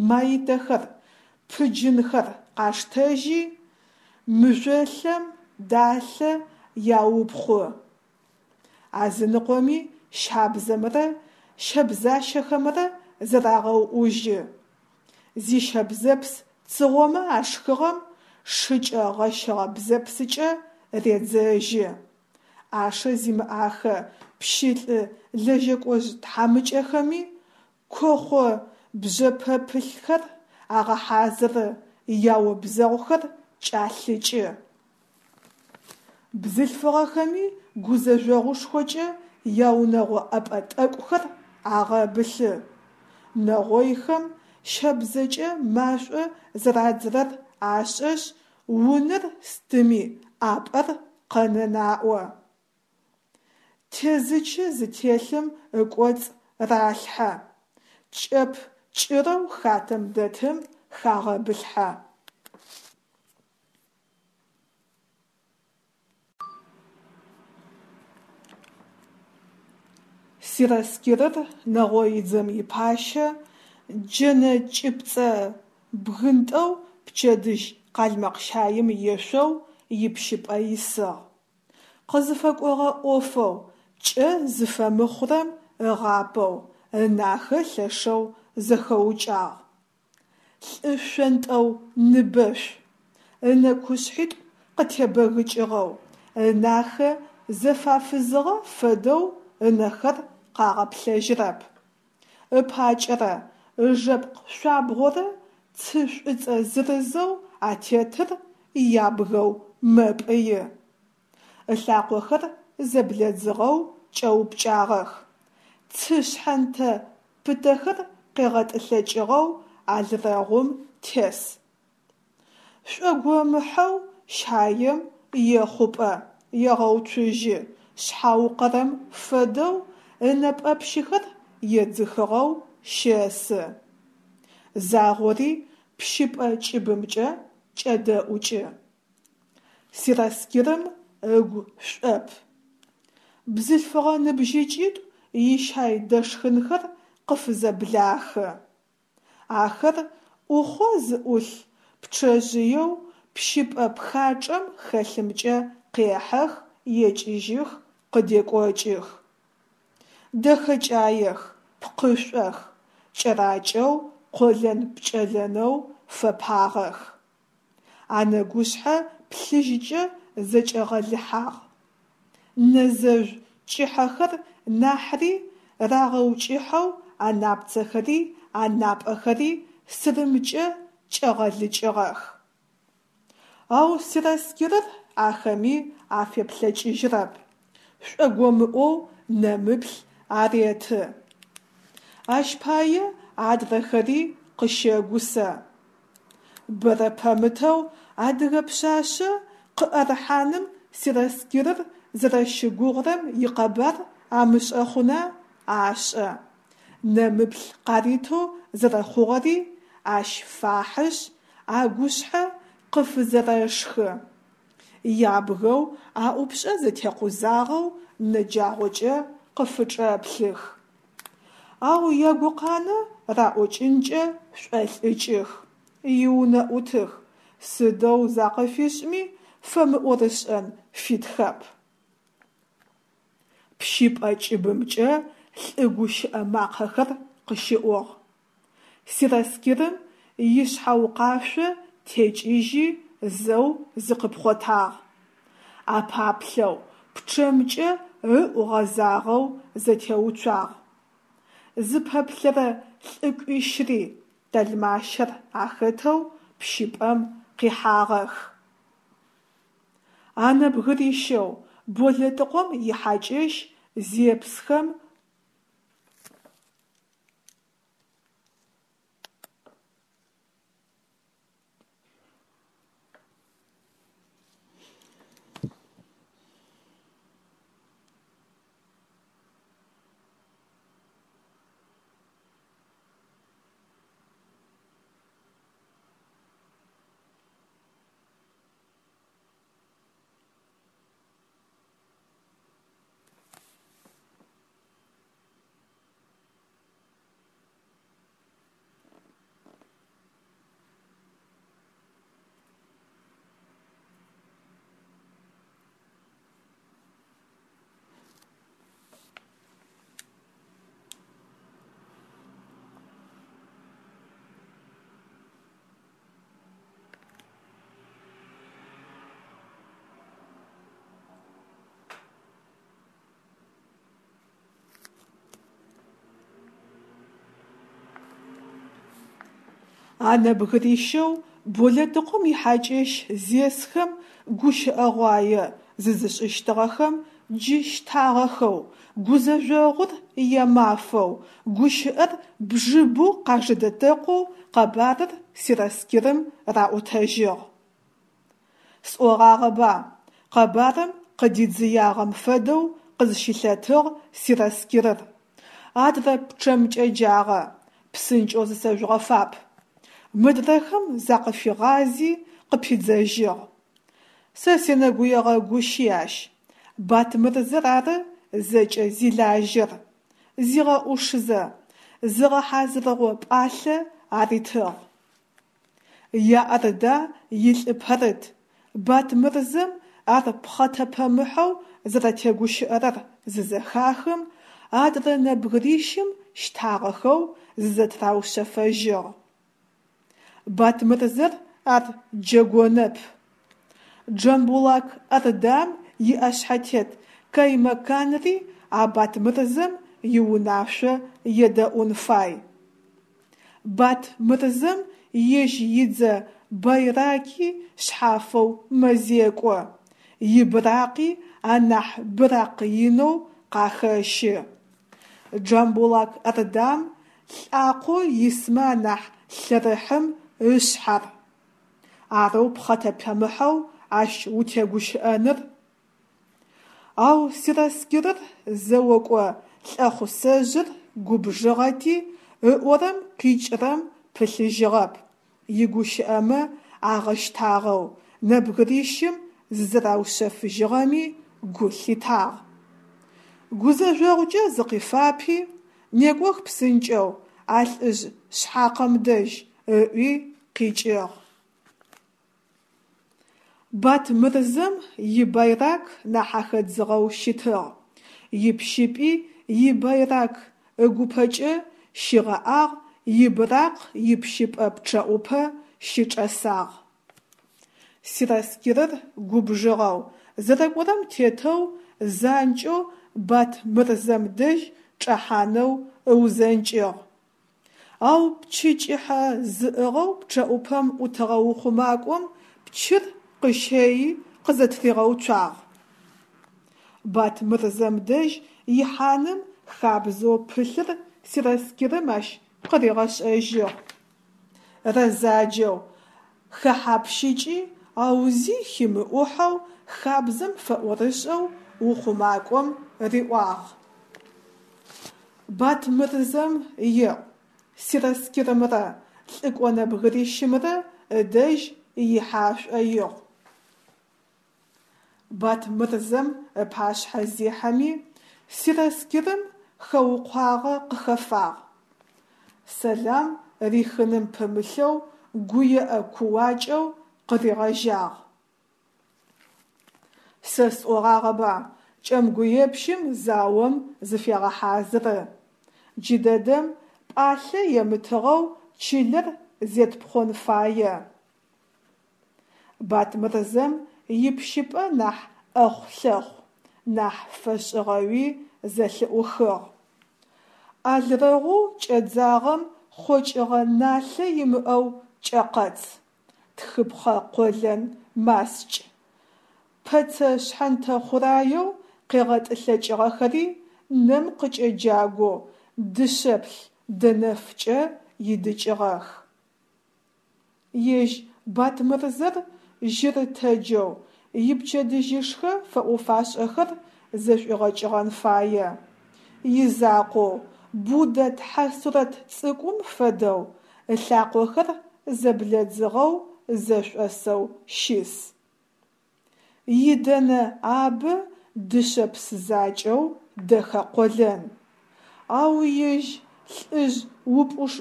[SPEAKER 1] маитэхэр, пыджынхэр къаштэжьи, мыжъолъэм далъэ яупхъу. Азыныкъоми щабзэмрэ щэбзащэхэмрэ зэрагъэуӏужьы. Зищэбзэпс цыгъомэ ашхыгъэм шыкӏэ гъэщыгъэ бзэпсыкӏэ редзэжьы. Ӏашэ зимыӏахэ пщылӏы лэжьэкӏожъ тхьамыкӏэхэми кохъо бжъэпэпылъхэр агъэхьазыры, яобзэгъухэр кӏалъыкӏы. Бзылъфыгъэхэми гузэжъогъушхокӏэ яунэгъо ӏэпӏэ тӏэкӏухэр агъэбылъы. Нэгъойхэм щэбзэкӏэ машӏо зэрадзырэр ашӏэшъ, унэр стыми ӏапӏэр къэнэн аӏо. Тезычы зытелъым ыкӏоцӏ ралъхьэ, кӏэп кӏырэу хатэм дэтым хагъэбылъхьэ. Сераскирыр, нэгъоидзэм ипащэ, джэнэ чӏыпцӏэ бгынтӏэу пчэдыжь къалмэкъщаим ешъоу ипщыпӏэ исыгъ. Къызыфэкӏогъэ ӏофэу кӏэ зыфэмыхъурэм ыгъапэу ынахэ лъэшэу зэхэукӏагъ. Лӏы шъонтӏэу-ныбэшъу, ынэкӏушъхьитӏу къытебэгыкӏыгъэу, ынахэ зэфафызыгъэ фэдэу ынэхэр къагъэплъэжьырэп. Ыпакӏэрэ ыжэпкъ шъуабгъорэ цы шӏуцӏэ зырызэу атетыр ябгэу мэпӏыи. Ылъакъохэр зэблэдзыгъэу кӏэупкӏагъэх, цы шъхьэнтэ пытэхэр къегъэтӏылъэкӏыгъэу алрэгъум тес. Шӏогомыхьэу щаем ехъупӏэ, егъэуцужьы, шъхьаукъэрэм фэдэу ынэпӏэпщыхэр едзыхыгъэу щэсы. Загъори пщыпӏэ кӏыбымкӏэ кӏэдэӏукӏы. Сераскирым ыгу шӏоп. Бзылъфыгъэ ныбжьыкӏитӏу ищай дэшхынхэр къыфызэблахы. Ахэр ӏухъо зыӏулъ пчъэжъыеу Пщыпӏэ пхачӏэм хэлъымкӏэ къехьэх, екӏыжьых, къыдекӏокӏых. Дэхэкӏаех, пкъышӏох, кӏэракӏэу, къолэн-пкӏэлэнэу фэпагъэх. Анэгушъхьэ плъыжькӏэ зэкӏэгъэлыхьагъ, нэ зэжъу кӏыхьэхэр нахьыри рагъэукӏыхьэу анапцэхэри анапӏэхэри сырымкӏэ кӏэгъэлыкӏыгъэх. Ау сераскирыр ахэми афеплъэкӏыжьырэп, шӏогомыӏоу нэмыплъ ареты. Ащ пае адрэхэри къыщэгусэ. Бэрэ пэмытэу адыгэ пшъашъэ къыӏэрыхьаным сераскирыр зэрэщыгугъырэм икъэбар амышӏэ хъуна, ашӏэ. Нэмыплъ къаритэу зэрэхъугъэри ащ фахьышъ, агушъхьэ къыфызэрэшхы, ябгэу, аӏупшӏэ зэтекъузагъэу нэ джагъокӏэ къыфычӏэплъых. Ау ягукъанэ раӏокӏынкӏэ шӏолӏыкӏых, иунэӏутых, сыдэу закъыфишӏми фэмыӏорышӏэн фитхэп. Пщыпӏэ кӏыбымкӏэ лӏы гущыӏэ макъэхэр къыщыӏугъ. Сераскирым ишъхьаукъашъо текӏыжьи зэу зыкъыпхъотагъ. Апаплъэу, пчъэмкӏэ ыӏу гъэзагъэу зэтеуцуагъ. Зыпэплъэрэ лӏыкӏуищри, тэлмащэр ахэтэу, пщыпӏэм къихьагъэх. А нэбгырищэу Болэтыкъом ихьакӏэщ зепсхэм. А нэбгырищэу Болэтыкъом ихьакӏэщ зесхэм гущыӏэгъуае зызышӏыщтыгъэхэм джы щтагъэхэу, гузэжъогъур ямафэу, гущыӏэр бжыбэу къажэдэтэкъоу къэбарыр сераскирым раӏотэжьыгъ. Сӏогъагъэба! Къэбарым къыдидзыягъэм фэдэу къызщылъэтыгъ сераскирыр, адрэ пчъэмкӏэ джагъэ: «Псынкӏэу зысэжъугъэфап!» Мыдрэхэм закъыфигъази, къыпидзэжьыгъ: «Сэ сенэгуегъэгущи ащ, Батмырзэр ары зэкӏэ зилажьэр», зигъэӏушызэ, зыгъэхьазырыгъо пӏалъэ аритыгъ. Я Орда илӏы пэрыт Батмырзэм ар пхъэтэпэмыхьэу зэрэтегущыӏэрэр зызэхахым, адрэ нэбгырищым щтагъэхэу зызэтыраушъэфэжьыгъ. Батмырзэр ар джэгонэп. Джамбулак Ордам иӏэшъхьэтет каймаканри а Батмырзэм иунашъо едэӏун фай. Батмырзэм ежь идзэ байраки шъхьафэу мэзекӏо, ибыракъи анахь быракъ инэу къахэщы. Джамбулак Ордам лӏакъоу исмэ анахь лъэрыхьым ышъхь ар. Арэу пхъэтэпэмыхьэу ащ утегущыӏэныр! Ау сераскирыр зэокӏо лӏэхъусэжъыр губжыгъэти, ыӏорэм къикӏырэм пылъыжьыгъэп, игущыӏэмэ агъэщтагъэу нэбгырищым зызэраушъэфыжьыгъэми гу лъитагъ. Гузэжъогъукӏэ зыкъифапи, «Некӏох псынкӏэу а лӏыжъ шъхьакъэм дэжь!» ыӏуи къикӏыгъ. Батмырзэм ибайрак нахь ахэдзыгъэу щытыгъ, ипщыпӏи ибайрак ыгупэкӏэ щигъэӏагъ, ибыракъ ипщыпӏэ пчъэӏупэ щычӏэсагъ. Сераскирыр губжыгъэу, зэрэкӏорэм тетэу занкӏэу Батмырзэм дэжь чӏэхьанэу ыузэнкӏыгъ, ау пчы кӏыхьэ зыӏыгъэу пчъэӏупэм ӏутыгъэ ухъумакӏом пчыр къыщэйи къызэтыригъэуцуагъ. Батмырзэм дэжь ихьаным хабзэу пылъыр сераскирым ащ къыригъэшӏэжьыгъ. Рэзаджэу, хэхьапщыкӏи, ау зи химыӏухьэу, хабзэм фэӏорышӏэу ухъумакӏом риӏуагъ: Батмырзэм еӏу, сераскирымрэ лӏыкӏо нэбгырищымрэ ыдэжь ихьэ ашӏоигъу. Батмырзэм ыпашъхьэ зехьэми, сераскирым хэукъуагъэ къыхэфагъ: сэлам рихыным пымылъэу гуеӏэ-кууакӏэу къыригъэжьагъ. Сэ сӏогъагъэба, кӏэмгуепщым заом зыфегъэхьазыры. Джыдэдэм пӏалъэ емытыгъэу чылэр зетпхъон фае. Батмырзэм ипщыпӏэ нахь ӏэхъу-лъэхъу, нахь фэшӏыгъэуи зэлъыӏухыгъ. Алрэгъоу кӏэдзагъэм хъокӏыгъэ налъэ имыӏэу кӏэкъэц, тхыпхъэ къолэн маскӏ, пэцэ шъхьэнтэ хъураеу къегъэтӏылъэкӏыгъэхэри нэм къыкӏэджагоу дышъэплъ дэнэфкӏэ идыкӏыгъэх. Ежь Батмырзэр жьырытэджэу ипчэдыжьышхэ фэӏо-фашӏэхэр зэшӏуигъэкӏыгъэн фае. Изакъоу, Буддэ тхьэ сурэт цӏыкӏум фэдэу, ылъакъохэр зэблэдзыгъэу зэшӏосэу щыс. Идэнэ абэ дышъэпс закӏэу дэхэ къолэн, ау ежь лӏыжъ упӏуш.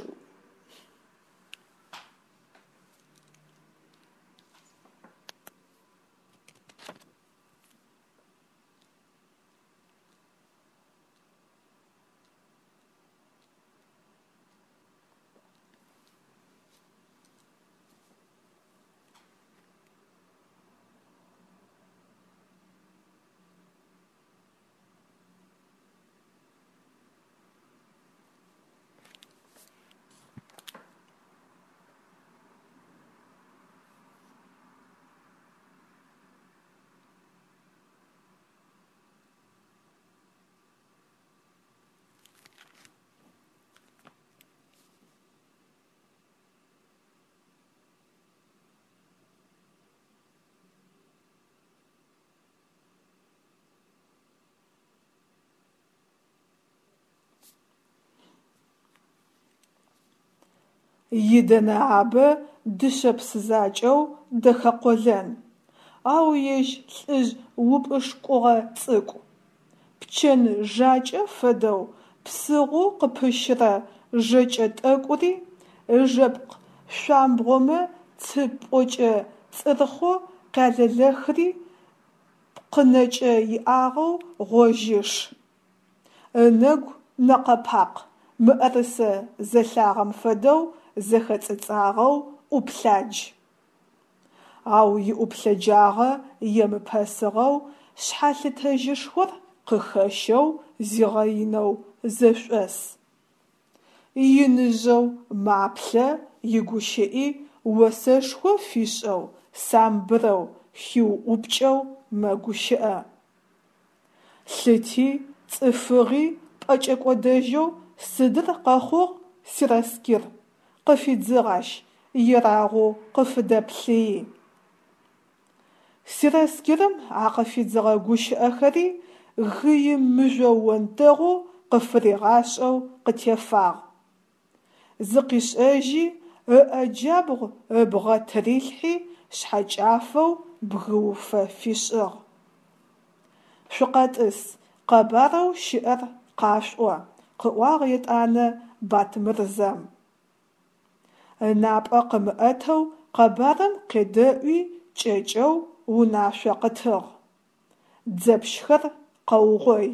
[SPEAKER 1] Идэнэ абэ дышъэпс закӏэу дэхэ къолэн, ау ежь лӏыжъ упӏышкӏугъэ цӏыкӏу. Пчэн жакӏэ фэдэу псыгъоу къыпыщырэ жэкӏэ тӏэкӏури, ыжэпкъ шъуамбгъомэ цы пӏокӏэ цӏырхъэу къялэлэхри пкъынэкӏэ иӏагъэу гъожьыш. Ынэгу нэкъэ-пакъ, мыӏэрысэ зэлъагъэм фэдэу зэхэцӏыцӏагъэу ӏуплъадж. Ау иӏуплъэджагъэ емыпэсыгъэу, шъхьалъытэжьышхор къыхэщэу зигъэинэу зэшӏос. Иныжъэу маплъэ, игущыӏи осэшхо фишӏэу, самбырэу, хиуӏупкӏэу мэгущыӏэ. Лъыти цӏыфыгъи пӏэкӏэкӏодэжьэу сыдыр къэхъугъ, сераскир? – къыфидзыгъ ащ, ерагъоу къыфыдэплъыи. Сераскирым а къыфидзыгъэ гущыӏэхэри гыи мыжъо онтэгъу къыфыригъашӏэу къытефагъ. Зыкъишӏэжьи, ыӏэ джабгъу ыбгъэ тырилъхьи, шъхьэкӏафэу бгыуфэ фишӏыгъ. Шъукъэтӏыс, къэбарэу щыӏэр къашъуӏо, – къыӏуагъ етӏанэ Батмырзэм. Ынапӏэ къымыӏэтэу къэбарым къедэӏуи кӏэкӏэу унашъо къытыгъ: Дзэпщхэр къэугъой!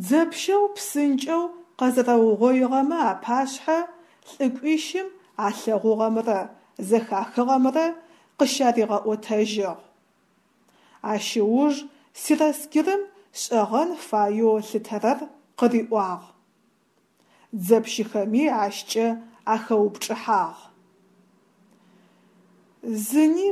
[SPEAKER 1] Дзэпщэу псынкӏэу къэзэрэугъоигъэмэ апашъхьэ лӏыкӏуищым алъэгъугъэмрэ зэхахыгъэмрэ къыщаригъэӏотэжьыгъ. Ащ ыуж сераскирым шӏэгъэн фаеу ылъытэрэр къыриӏуагъ, дзэпщхэми ащкӏэ ахэупчӏыхьагъ. Зыни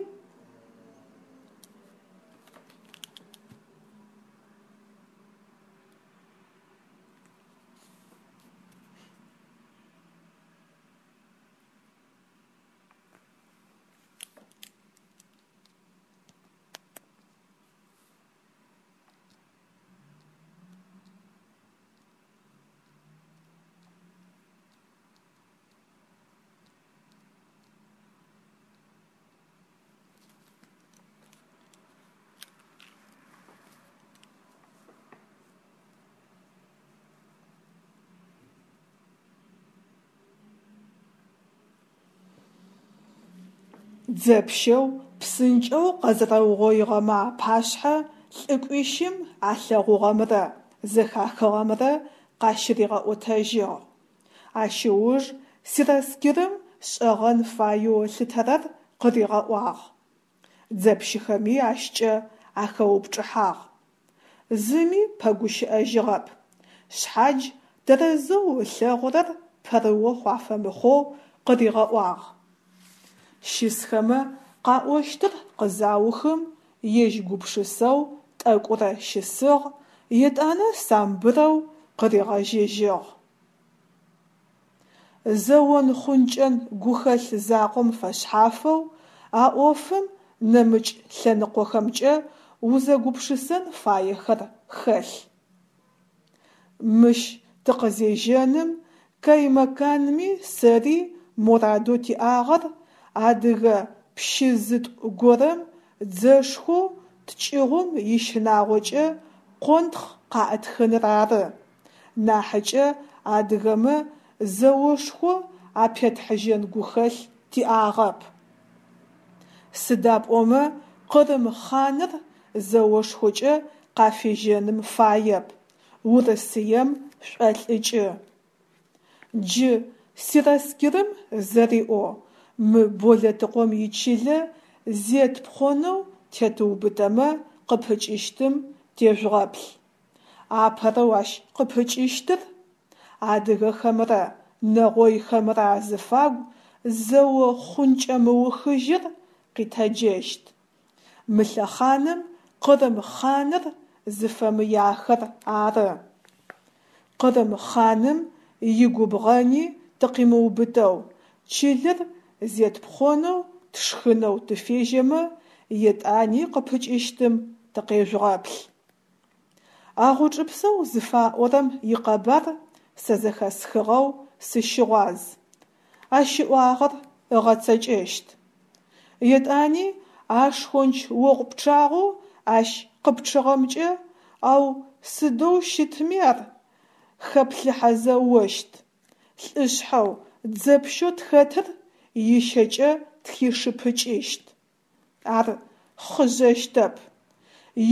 [SPEAKER 1] Дзэпщэу псынкӏэу къэзэрэугъоигъэмэ апашъхьэ лӏыкӏуищым алъэгъугъэмрэ зэхахыгъэмрэ къащыригъэӏотэжьыгъ. Ащ ыуж сераскирым шӏэгъэн фаеу ылъытэрэр къыригъэӏуагъ, дзэпщхэми ащкӏэ ахэупчӏыхьагъ. Зыми пэгущыӏэжьыгъэп, шъхьадж тэрэзэу ылъэгъурэр пэрыохъу афэмыхъоу къыригъэӏуагъ. Щысхэмэ къаӏощтыр къызаухым, ежь гупшысэу тӏэкӏурэ щысыгъ, етӏанэ самбырэу къыригъэжьэжьыгъ. Зэон-хъункӏэн гухэлъ закъом фэшъхьафэу а ӏофым нэмыкӏ лъэныкъохэмкӏэ узэгупшысэн фаехэр хэлъ. Мыщ тыкъызежьэным каймакамми сэри морадэу тиӏагъэр адыгэ пщы зытӏу горэм дзэшхоу ткӏыгъум ищынагъокӏэ къонтхъ къаӏытхыныр ары нахьыкӏэ адыгэмэ зэошхо апетхьыжьэн гухэлъ тиӏагъэп. Сыда пӏомэ Къырым хъаныр зэошхокӏэ къафежьэным фаеп, Урысыем шӏолӏыкӏы. Джы, сераскирым зэриӏоу, мы Болэтыкъом ичылэ зетпхъонэу тетыубытэмэ къыпыкӏыщтым тежъугъэплъ. Апэрэу ащ къыпыкӏыщтыр адыгэхэмрэ нэгъойхэмрэ азыфагу зэо-хъункӏэ мыухыжьыр къитэджэщт. Мы лъэхъаным Къырым хъаныр зыфэмыяхэр ары. Къырым хъаным игубгъэни тыкъимыубытэу чылэр зетпхъонэу тшхынэу тыфежьэмэ, етӏани къыпыкӏыщтым тыкъежъугъэплъ. А Гъучӏыпсэу зыфаӏорэм икъэбар сэ зэхэсхыгъэу сыщыгъуаз, ащ ыӏуагъэр ыгъэцэкӏэщт. Етӏани а шхонч огъу пчъагъэу ащ къыпчъыгъэмкӏэ, ау сыдэу щытми ар хэплъыхьэзэ ощт, лӏышъхьэу, дзэпщэу тхэтыр ищэкӏэ тхишыпыкӏыщт. Ар хъыжъэщтэп,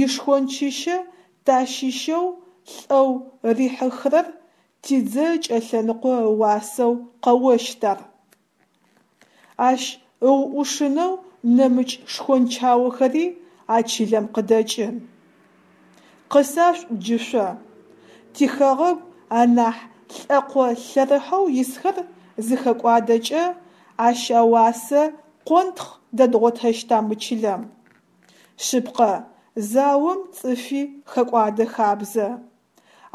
[SPEAKER 1] ишхончыщэ тащыщэу лӏэу рихьыхырэр тидзэ ыкӏэлъэныкъо ыуасэу къэощт ар. Ащ ыуӏушынэу нэмыкӏ шхончаохэри а чылэм къыдэкӏын. Къысашъуӏу джы шъо: тихэгъэгу анахь лӏэкъо лъэрыхьэу исхэр зыхэкӏуадэкӏэ, ащ ауасэ къонтхъ дэдгъотэщта мы чылэм? Шъыпкъэ, заом цӏыфи хэкӏуадэ хабзэ,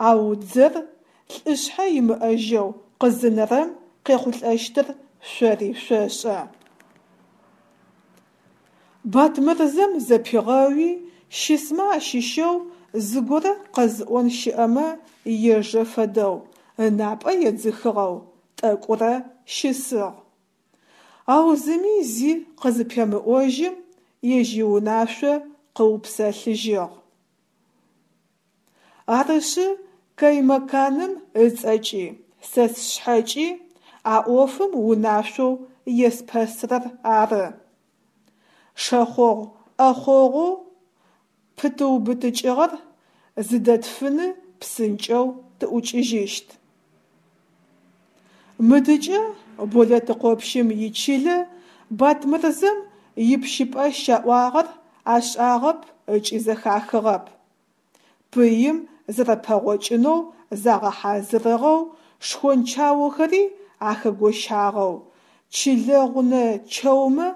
[SPEAKER 1] ау дзэр лӏышъхьэ имыӏэжьэу къызынэрэм къехъулӏэщтыр шъори шъошӏэ. Батмырзэм зэпигъэуи, щысмэ ащыщэу зыгорэ къэзыӏон щыӏэмэ ежэ фэдэу, ынапӏэ едзыхыгъэу тӏэкӏурэ щысыгъ. Ау зыми зи къызыпемыӏожьым, ежь иунашъо къыупсэлъыжьыгъ. Арышъы, каймакамым ыцӏэкӏи, сэ сшъхьэкӏи а ӏофым унашъоу еспэсырэр ары: Шэхъогъу ӏэхъогъоу пытыубытыкӏыгъэр зыдэтфыны псынкӏэу тыӏукӏыжьыщт. Мыдыкӏэ, Болэтыкъопщым ичылэ, Батмырзэм ипщыпӏэ щаӏуагъэр ашӏагъэп ыкӏи зэхахыгъэп. Пыим зэрэпэгъокӏынэу загъэхьазырыгъэу, шхончаохэри ахэгощагъэу, чылэгъунэ чэумэ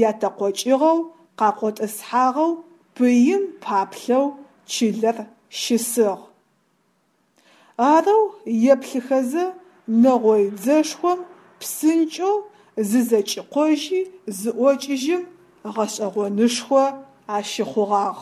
[SPEAKER 1] ятэкъокӏыгъэу къакъотӏысхьагъэу пыим паплъэу чылэр щысыгъ. Арэу еплъыхэзэ, нэгъой дзэшхом псынкӏэу зызэкӏикъожьи зыӏокӏыжьым гъэшӏэгъонышхо ащыхъугъагъ.